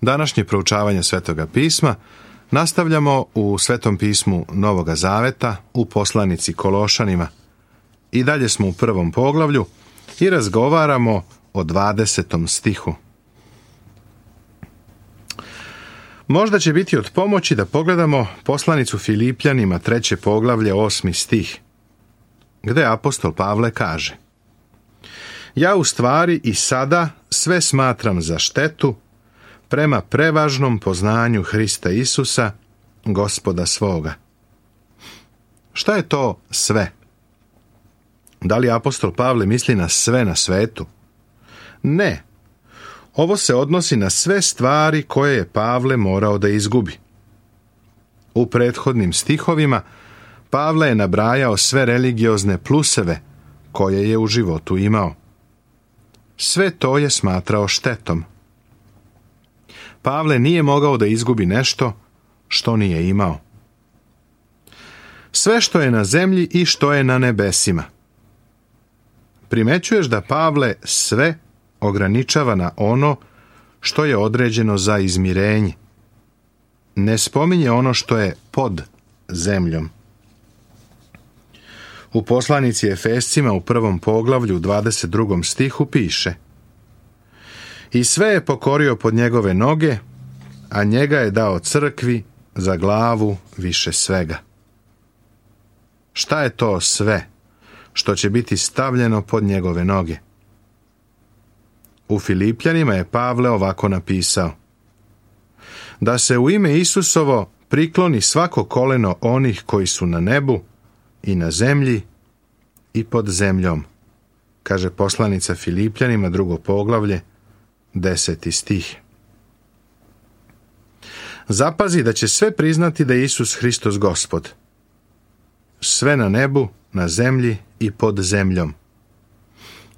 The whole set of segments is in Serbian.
Današnje proučavanje Svetoga pisma nastavljamo u Svetom pismu Novoga Zaveta u poslanici Kološanima. I dalje smo u 1. poglavlju i razgovaramo o 20. stihu. Možda će biti od pomoći da pogledamo poslanicu Filipljanima 3. poglavlje 8. stih, gdje apostol Pavle kaže: Ja u stvari i sada sve smatram za štetu prema prevažnom poznanju Hrista Isusa, Gospoda svoga. Šta je to sve? Da li apostol Pavle misli na sve na svetu? Ne. Ovo se odnosi na sve stvari koje je Pavle morao da izgubi. U prethodnim stihovima Pavle je nabrajao sve religiozne pluseve koje je u životu imao. Sve to je smatrao štetom. Pavle nije mogao da izgubi nešto što nije imao. Sve što je na zemlji i što je na nebesima. Primećuješ da Pavle sve ograničava na ono što je određeno za izmirenje. Ne spominje ono što je pod zemljom. U poslanici Efescima u 1. poglavlju 22. stihu piše: I sve je pokorio pod njegove noge, a njega je dao crkvi za glavu više svega. Šta je to sve što će biti stavljeno pod njegove noge? U Filipljanima je Pavle ovako napisao: Da se u ime Isusovo prikloni svako koleno onih koji su na nebu i na zemlji i pod zemljom, kaže poslanica Filipljanima 2. poglavlje 10. stih. Zapazi da će sve priznati da je Isus Hristos Gospod. Sve na nebu, na zemlji i pod zemljom.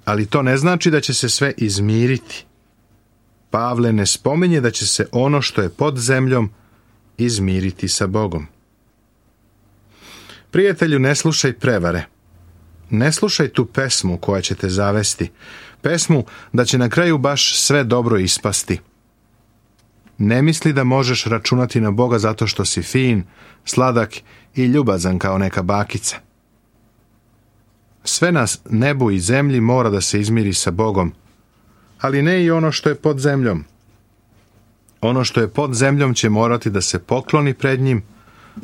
Ali to ne znači da će se sve izmiriti. Pavle ne spominje da će se ono što je pod zemljom izmiriti sa Bogom. Prijatelju, ne slušaj prevare. Ne slušaj tu pesmu koja će te zavesti. Pesmu da će na kraju baš sve dobro ispasti. Ne misli da možeš računati na Boga zato što si fin, sladak i ljubazan kao neka bakica. Sve na nebu i zemlji mora da se izmiri sa Bogom, ali ne i ono što je pod zemljom. Ono što je pod zemljom će morati da se pokloni pred njim,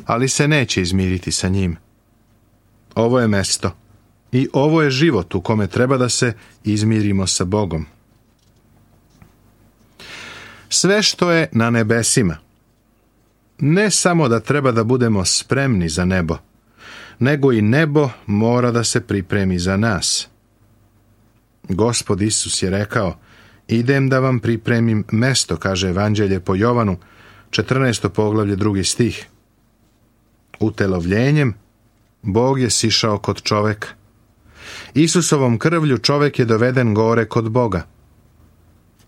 ali se neće izmiriti sa njim. Ovo je mesto i ovo je život u kome treba da se izmirimo sa Bogom. Sve što je na nebesima, ne samo da treba da budemo spremni za nebo, nego i nebo mora da se pripremi za nas. Gospod Isus je rekao: Idem da vam pripremim mesto, kaže Evanđelje po Jovanu, 14. poglavlje 2. stih. Utelovljenjem Bog je sišao kod čoveka. Isusovom krvlju čovek je doveden gore kod Boga.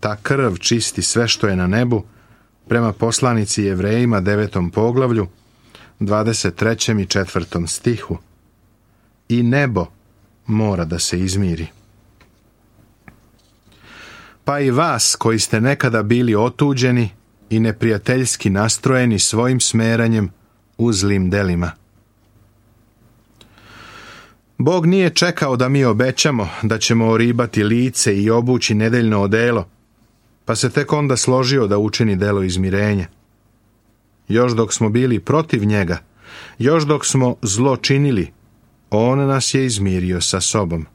Ta krv čisti sve što je na nebu, prema poslanici Jevrejima 9. poglavlju, 23. i 4. stihu. I nebo mora da se izmiri. Pa i vas koji ste nekada bili otuđeni i neprijateljski nastrojeni svojim smeranjem u zlim delima. Bog nije čekao da mi obećamo da ćemo oribati lice i obući nedeljno odelo, pa se tek onda složio da učini delo izmirenja. Još dok smo bili protiv njega, još dok smo zlo činili, on nas je izmirio sa sobom.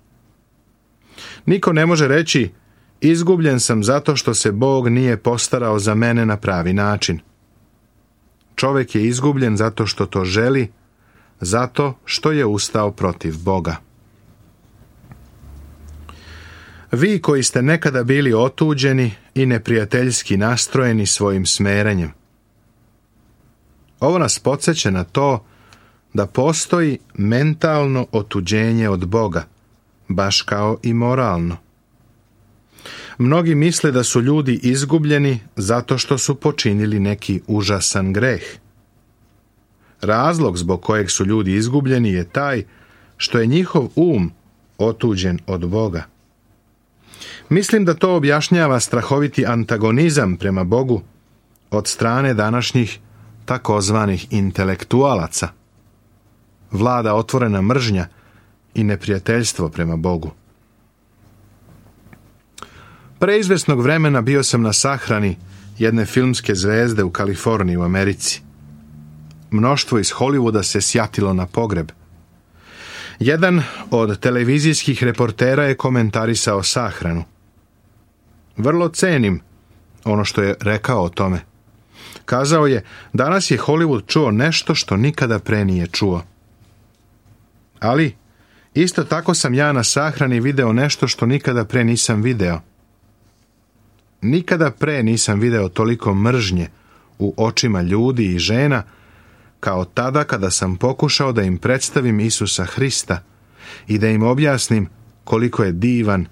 Niko ne može reći: izgubljen sam zato što se Bog nije postarao za mene na pravi način. Čovjek je izgubljen zato što to želi, zato što je ustao protiv Boga. Vi koji ste nekada bili otuđeni i neprijateljski nastrojeni svojim smeranjem. Ovo nas podsjeća na to da postoji mentalno otuđenje od Boga, baš kao i moralno. Mnogi misle da su ljudi izgubljeni zato što su počinili neki užasan greh. Razlog zbog kojeg su ljudi izgubljeni je taj što je njihov otuđen od Boga. Mislim da to objašnjava strahoviti antagonizam prema Bogu od strane današnjih takozvanih intelektualaca. Vlada otvorena mržnja i neprijateljstvo prema Bogu. Pre izvesnog vremena bio sam na sahrani jedne filmske zvezde u Kaliforniji u Americi. Mnoštvo iz Hollywooda se sjatilo na pogreb. Jedan od televizijskih reportera je komentarisao sahranu. Vrlo cenim ono što je rekao o tome. Kazao je, danas je Hollywood čuo nešto što nikada pre nije čuo. Ali, isto tako sam ja na sahrani video nešto što nikada pre nisam video. Nikada pre nisam video toliko mržnje u očima ljudi i žena kao tada kada sam pokušao da im predstavim Isusa Hrista i da im objasnim koliko je divan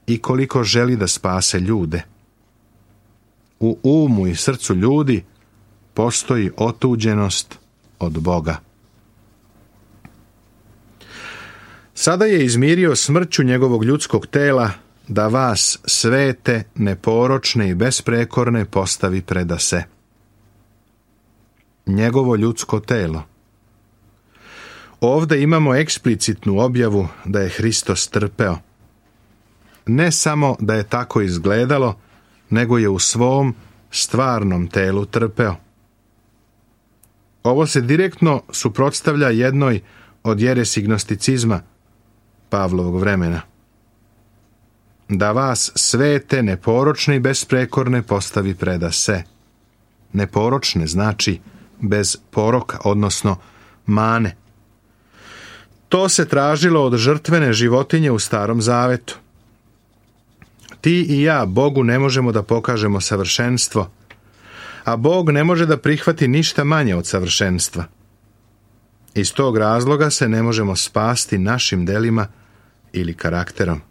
i koliko želi da spase ljude. U umu i srcu ljudi postoji otuđenost od Boga. Sada je izmirio smrću njegovog ljudskog tela da vas svete, neporočne i besprekorne postavi predase. Njegovo ljudsko telo. Ovdje imamo eksplicitnu objavu da je Hristos trpeo. Ne samo da je tako izgledalo, nego je u svom stvarnom telu trpeo. Ovo se direktno suprotstavlja jednoj od jeresi gnosticizma Pavlovog vremena. Da vas svete, neporočne i besprekorne postavi predase. Neporočne znači bez poroka, odnosno mane. To se tražilo od žrtvene životinje u Starom Zavetu. Ti i ja Bogu ne možemo da pokažemo savršenstvo, a Bog ne može da prihvati ništa manje od savršenstva. Iz tog razloga se ne možemo spasti našim delima ili karakterom.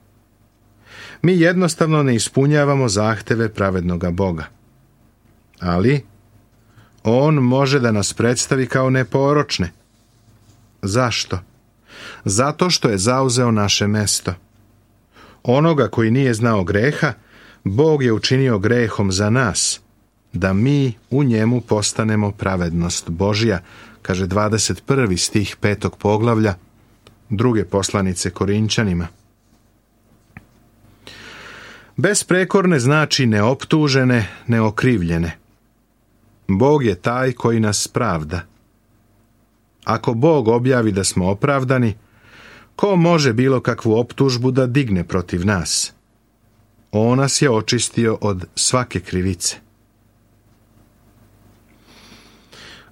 Mi jednostavno ne ispunjavamo zahteve pravednoga Boga. Ali On može da nas predstavi kao neporočne. Zašto? Zato što je zauzeo naše mesto. Onoga koji nije znao greha, Bog je učinio grehom za nas, da mi u njemu postanemo pravednost Božja, kaže 21. stih 5. poglavlja druge poslanice Korinčanima. Besprekorne znači neoptužene, neokrivljene. Bog je taj koji nas pravda. Ako Bog objavi da smo opravdani, ko može bilo kakvu optužbu da digne protiv nas? On nas je očistio od svake krivice.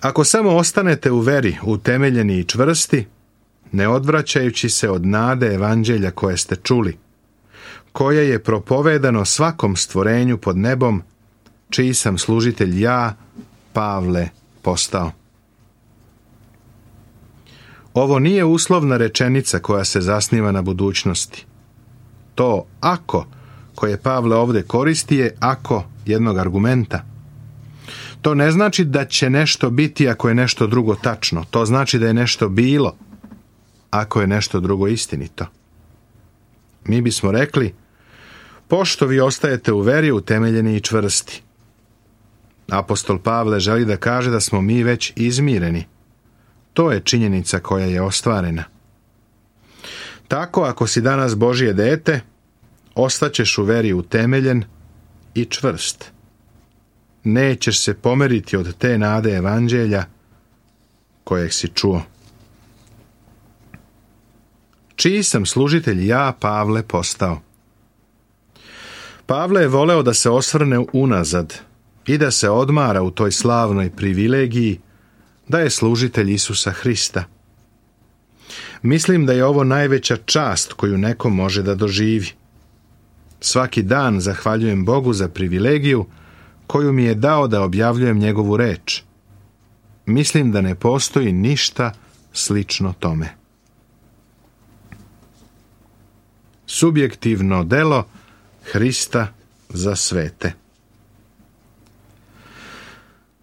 Ako samo ostanete u veri, utemeljeni i čvrsti, ne odvraćajući se od nade evanđelja koje ste čuli, koje je propovedano svakom stvorenju pod nebom, čiji sam služitelj ja, Pavle, postao. Ovo nije uslovna rečenica koja se zasniva na budućnosti. To ako, koje Pavle ovdje koristi, je ako jednog argumenta. To ne znači da će nešto biti ako je nešto drugo tačno. To znači da je nešto bilo ako je nešto drugo istinito. Mi bismo rekli, pošto vi ostajete u veri utemeljeni i čvrsti. Apostol Pavle želi da kaže da smo mi već izmireni. To je činjenica koja je ostvarena. Tako, ako si danas Božje dete, ostaćeš u veri utemeljen i čvrst. Nećeš se pomeriti od te nade evanđelja kojeg si čuo. Čiji sam služitelj ja, Pavle, postao? Pavle je voleo da se osvrne unazad i da se odmara u toj slavnoj privilegiji da je služitelj Isusa Hrista. Mislim da je ovo najveća čast koju neko može da doživi. Svaki dan zahvaljujem Bogu za privilegiju koju mi je dao da objavljujem njegovu reč. Mislim da ne postoji ništa slično tome. Subjektivno delo Hrista za svete.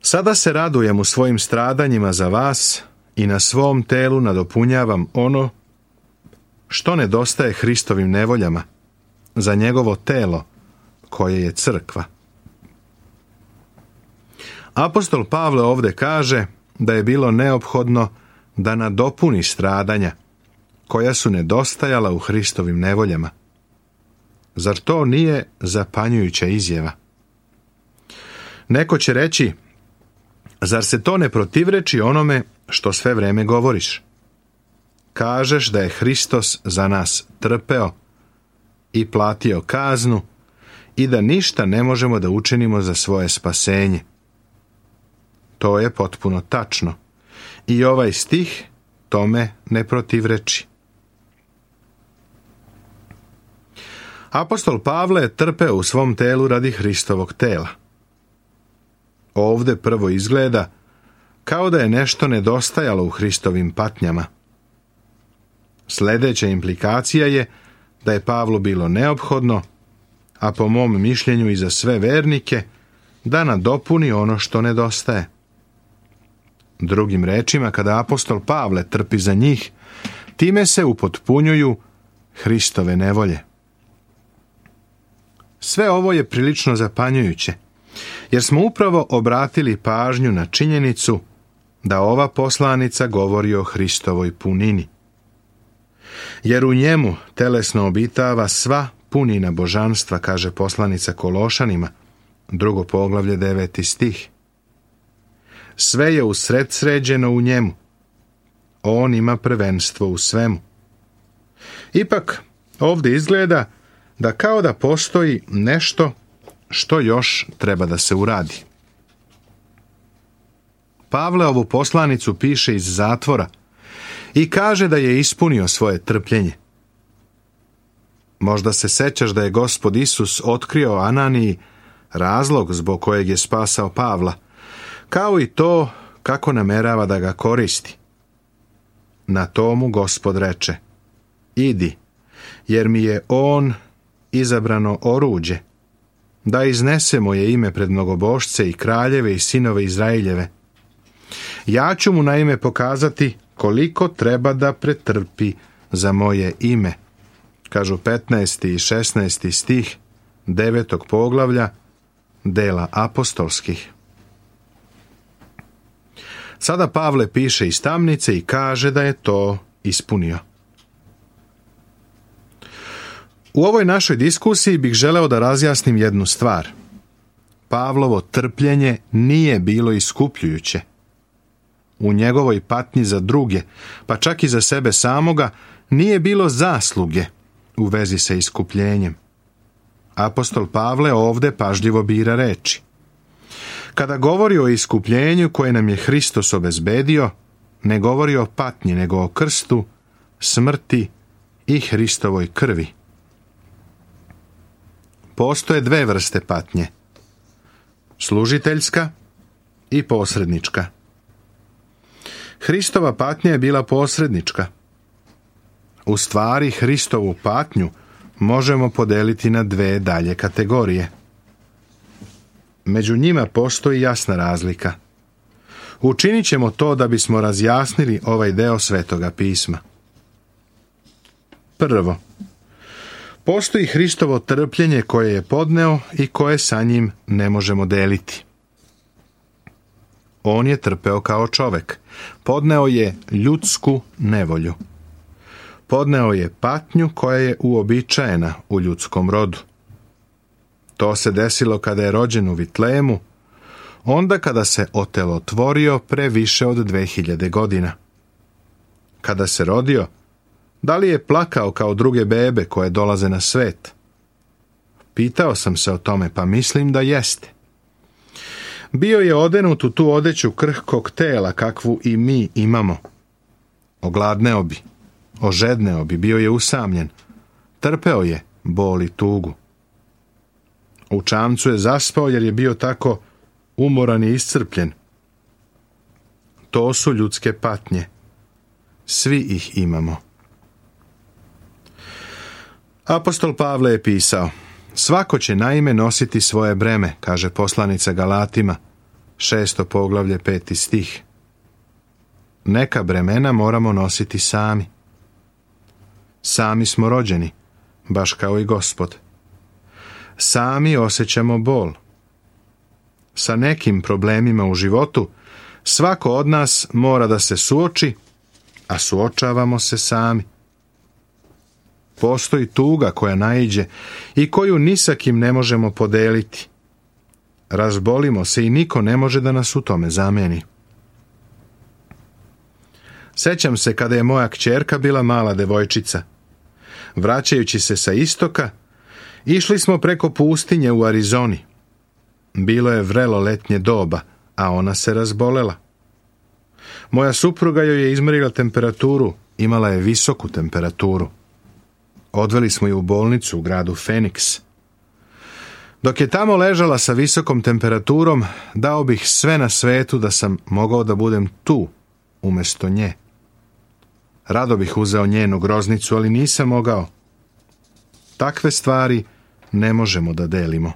Sada se radujem u svojim stradanjima za vas i na svom telu nadopunjavam ono što nedostaje Hristovim nevoljama za njegovo telo koje je crkva. Apostol Pavle ovdje kaže da je bilo neophodno da nadopuni stradanja koja su nedostajala u Hristovim nevoljama. Zar to nije zapanjujuća izjava? Neko će reći, zar se to ne protivreči onome što sve vrijeme govoriš? Kažeš da je Hristos za nas trpeo i platio kaznu i da ništa ne možemo da učinimo za svoje spasenje. To je potpuno tačno i ovaj stih tome ne protivreči. Apostol Pavle je trpeo u svom telu radi Hristovog tela. Ovdje prvo izgleda kao da je nešto nedostajalo u Hristovim patnjama. Sljedeća implikacija je da je Pavlu bilo neophodno, a po mom mišljenju i za sve vernike, da nadopuni ono što nedostaje. Drugim rečima, kada apostol Pavle trpi za njih, time se upotpunjuju Hristove nevolje. Sve ovo je prilično zapanjujuće, jer smo upravo obratili pažnju na činjenicu da ova poslanica govori o Hristovoj punini. Jer u njemu telesno obitava sva punina božanstva, kaže poslanica Kološanima, 2. poglavlje 9. stih. Sve je usredsređeno u njemu. On ima prvenstvo u svemu. Ipak, ovdje izgleda da kao da postoji nešto što još treba da se uradi. Pavle ovu poslanicu piše iz zatvora i kaže da je ispunio svoje trpljenje. Možda se sećaš da je Gospod Isus otkrio Ananiji razlog zbog kojeg je spasao Pavla, kao i to kako namerava da ga koristi. Na tomu Gospod reče, idi, jer mi je on izabrano oruđe, da iznese moje ime pred mnogobošce i kraljeve i sinove Izraeljeve. Ja ću mu naime pokazati koliko treba da pretrpi za moje ime, kažu 15. i 16. stih 9. poglavlja dela apostolskih. Sada Pavle piše iz tamnice i kaže da je to ispunio. U ovoj našoj diskusiji bih želeo da razjasnim jednu stvar. Pavlovo trpljenje nije bilo iskupljujuće. U njegovoj patnji za druge, pa čak i za sebe samoga, nije bilo zasluge u vezi sa iskupljenjem. Apostol Pavle ovdje pažljivo bira reči. Kada govori o iskupljenju koje nam je Hristos obezbedio, ne govori o patnji, nego o krstu, smrti i Hristovoj krvi. Postoje dve vrste patnje. Služiteljska i posrednička. Hristova patnja je bila posrednička. U stvari, Hristovu patnju možemo podeliti na dve dalje kategorije. Među njima postoji jasna razlika. Učinit ćemo to da bismo razjasnili ovaj deo Svetoga pisma. Prvo, postoji Hristovo trpljenje koje je podneo i koje sa njim ne možemo deliti. On je trpeo kao čovek. Podneo je ljudsku nevolju. Podneo je patnju koja je uobičajena u ljudskom rodu. To se desilo kada je rođen u Vitlemu, onda kada se otelotvorio pre više od 2000 godina. Kada se rodio, da li je plakao kao druge bebe koje dolaze na svet? Pitao sam se o tome, pa mislim da jeste. Bio je odenut u tu odeću krhkog tela kakvu i mi imamo. Ogladneo bi, ožedneo bi, bio je usamljen. Trpeo je bol i tugu. U čamcu je zaspao jer je bio tako umoran i iscrpljen. To su ljudske patnje. Svi ih imamo. Apostol Pavle je pisao, svako će naime nositi svoje breme, kaže poslanica Galatima, 6. poglavlje 5. stih. Neka bremena moramo nositi sami. Sami smo rođeni, baš kao i Gospod. Sami osjećamo bol. sa nekim problemima u životu, svako od nas mora da se suoči, a suočavamo se sami. Postoji tuga koja naiđe i koju ni sa kim ne možemo podeliti. Razbolimo se i niko ne može da nas u tome zameni. Sećam se kada je moja kćerka bila mala devojčica. Vraćajući se sa istoka, išli smo preko pustinje u Arizoni. Bilo je vrelo letnje doba, a ona se razbolela. Moja supruga joj je izmerila temperaturu, imala je visoku temperaturu. Odveli smo ju u bolnicu u gradu Phoenix. Dok je tamo ležala sa visokom temperaturom, dao bih sve na svetu da sam mogao da budem tu, umjesto nje. Rado bih uzeo njenu groznicu, ali nisam mogao. Takve stvari ne možemo da delimo.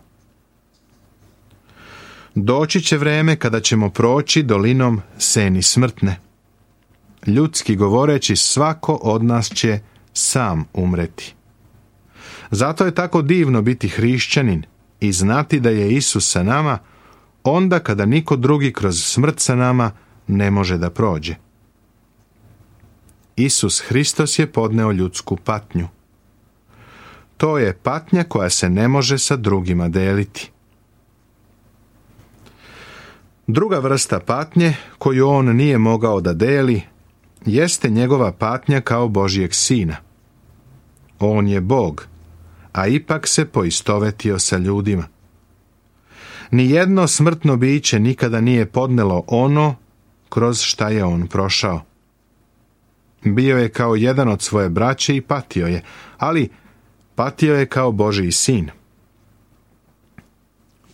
Doći će vreme kada ćemo proći dolinom seni smrtne. Ljudski govoreći, svako od nas će sam umreti. Zato je tako divno biti hrišćanin i znati da je Isus sa nama onda kada niko drugi kroz smrt sa nama ne može da prođe. Isus Hristos je podneo ljudsku patnju. To je patnja koja se ne može sa drugima deliti. Druga vrsta patnje koju on nije mogao da deli jeste njegova patnja kao Božjeg sina. On je Bog, a ipak se poistovetio sa ljudima. Nijedno smrtno biće nikada nije podnelo ono kroz šta je on prošao. Bio je kao jedan od svoje braće i patio je, ali patio je kao Božji sin.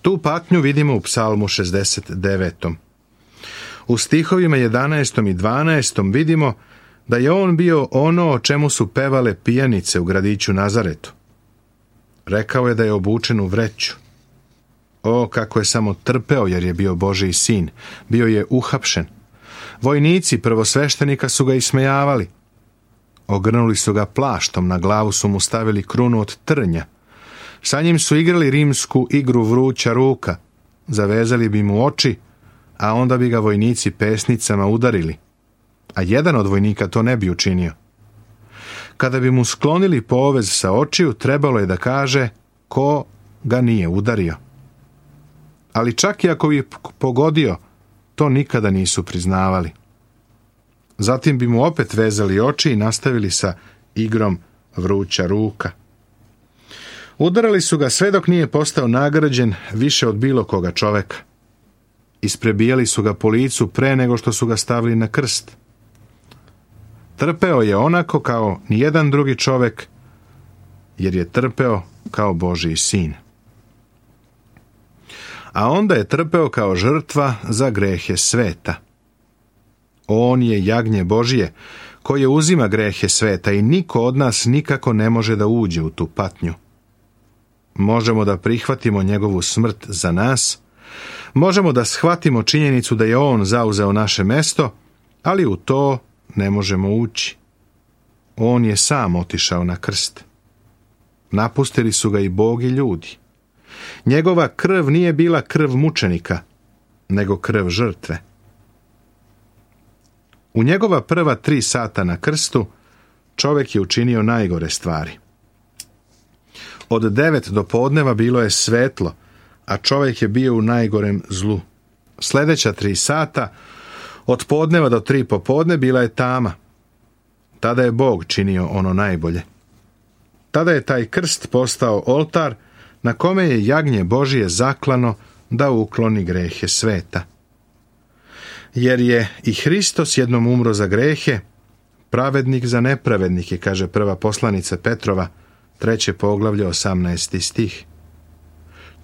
Tu patnju vidimo u Psalmu 69. U stihovima 11. i 12. vidimo da je on bio ono o čemu su pevale pijanice u gradiću Nazaretu. Rekao je da je obučen u vreću. O, kako je samo trpeo jer je bio Božji sin. Bio je uhapšen. Vojnici prvosveštenika su ga ismejavali. Ogrnuli su ga plaštom, na glavu su mu stavili krunu od trnja. Sa njim su igrali rimsku igru vruća ruka. Zavezali bi mu oči, a onda bi ga vojnici pesnicama udarili. A jedan od vojnika to ne bi učinio. Kada bi mu sklonili povez sa očiju, trebalo je da kaže ko ga nije udario. Ali čak i ako bi pogodio, to nikada nisu priznavali. Zatim bi mu opet vezali oči i nastavili sa igrom vruća ruka. Udarali su ga sve dok nije postao nagrađen više od bilo koga čoveka. Isprebijali su ga po licu pre nego što su ga stavili na krst. Trpeo je onako kao nijedan drugi čovek, jer je trpeo kao Božji sin. A onda je trpeo kao žrtva za grehe sveta. On je jagnje Božje, koje uzima grehe sveta i niko od nas nikako ne može da uđe u tu patnju. Možemo da prihvatimo njegovu smrt za nas, možemo da shvatimo činjenicu da je on zauzeo naše mesto, ali u to ne možemo ući. On je sam otišao na krst. Napustili su ga i Bog i ljudi. Njegova krv nije bila krv mučenika, nego krv žrtve. U njegova prva 3 sata na krstu čovjek je učinio najgore stvari. Od 9 do podneva bilo je svetlo, a čovjek je bio u najgorem zlu. Sljedeća 3 sata, od podneva do 3 popodne, bila je tama. Tada je Bog činio ono najbolje. Tada je taj krst postao oltar na kome je jagnje Božje zaklano da ukloni grehe sveta. Jer je i Hristos jednom umro za grehe, pravednik za nepravednike, kaže prva poslanica Petrova, 3. poglavlje, 18. stih.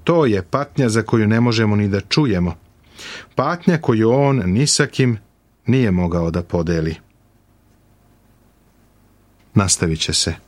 To je patnja za koju ne možemo ni da čujemo. Patnja koju on ni sa kim nije mogao da podeli. Nastavit će se.